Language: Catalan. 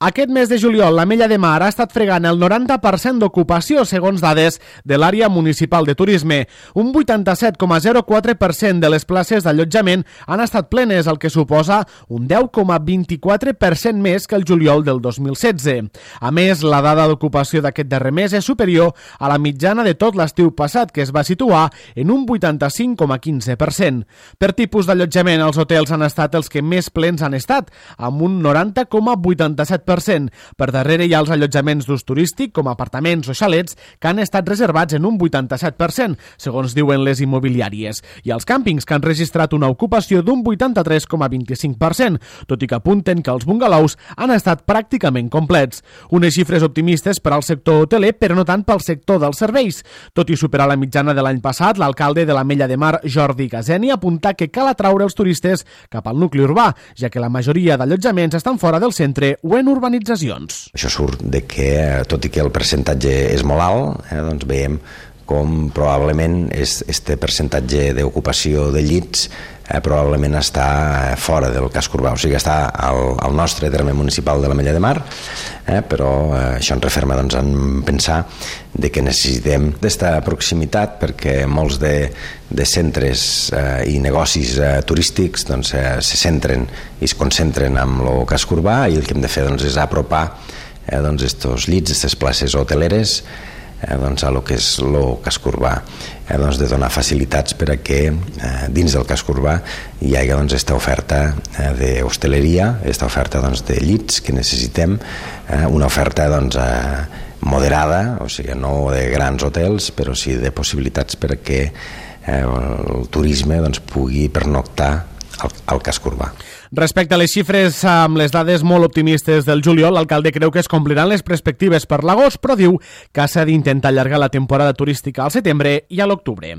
Aquest mes de juliol, l'Ametlla de Mar ha estat fregant el 90% d'ocupació, segons dades de l'àrea municipal de turisme. Un 87,04% de les places d'allotjament han estat plenes, el que suposa un 10,24% més que el juliol del 2016. A més, la dada d'ocupació d'aquest darrer mes és superior a la mitjana de tot l'estiu passat, que es va situar en un 85,15%. Per tipus d'allotjament, els hotels han estat els que més plens han estat, amb un 90,87%. Per darrere hi ha els allotjaments d'ús turístic, com apartaments o xalets, que han estat reservats en un 87%, segons diuen les immobiliàries, i els càmpings, que han registrat una ocupació d'un 83,25%, tot i que apunten que els bungalows han estat pràcticament complets. Unes xifres optimistes per al sector hoteler, però no tant pel sector dels serveis. Tot i superar la mitjana de l'any passat, l'alcalde de l'Ametlla de Mar, Jordi Gazeni, apunta que cal atraure els turistes cap al nucli urbà, ja que la majoria d'allotjaments estan fora del centre o en urbanitzacions. Això surt de que, tot i que el percentatge és molt alt, doncs veiem com probablement este percentatge d'ocupació de llits probablement està fora del casc urbà, o sigui, està al nostre terme municipal de l'Ametlla de Mar, però això ens referma en pensar de que necessitem d'esta proximitat, perquè molts de centres i negocis turístics se centren i es concentren en el casc urbà, i el que hem de fer és apropar estos llits, aquestes places hoteleres a lo que és el casc urbà, de donar facilitats per a que dins del casc urbà hi hagi aquesta oferta d'hostaleria, aquesta oferta de llits que necessitem, una oferta moderada, o sigui, no de grans hotels, però sí de possibilitats per a que el turisme pugui pernoctar al casc urbà. Respecte a les xifres amb les dades molt optimistes del juliol, l'alcalde creu que es compliran les perspectives per l'agost, però diu que s'ha d'intentar allargar la temporada turística al setembre i a l'octubre.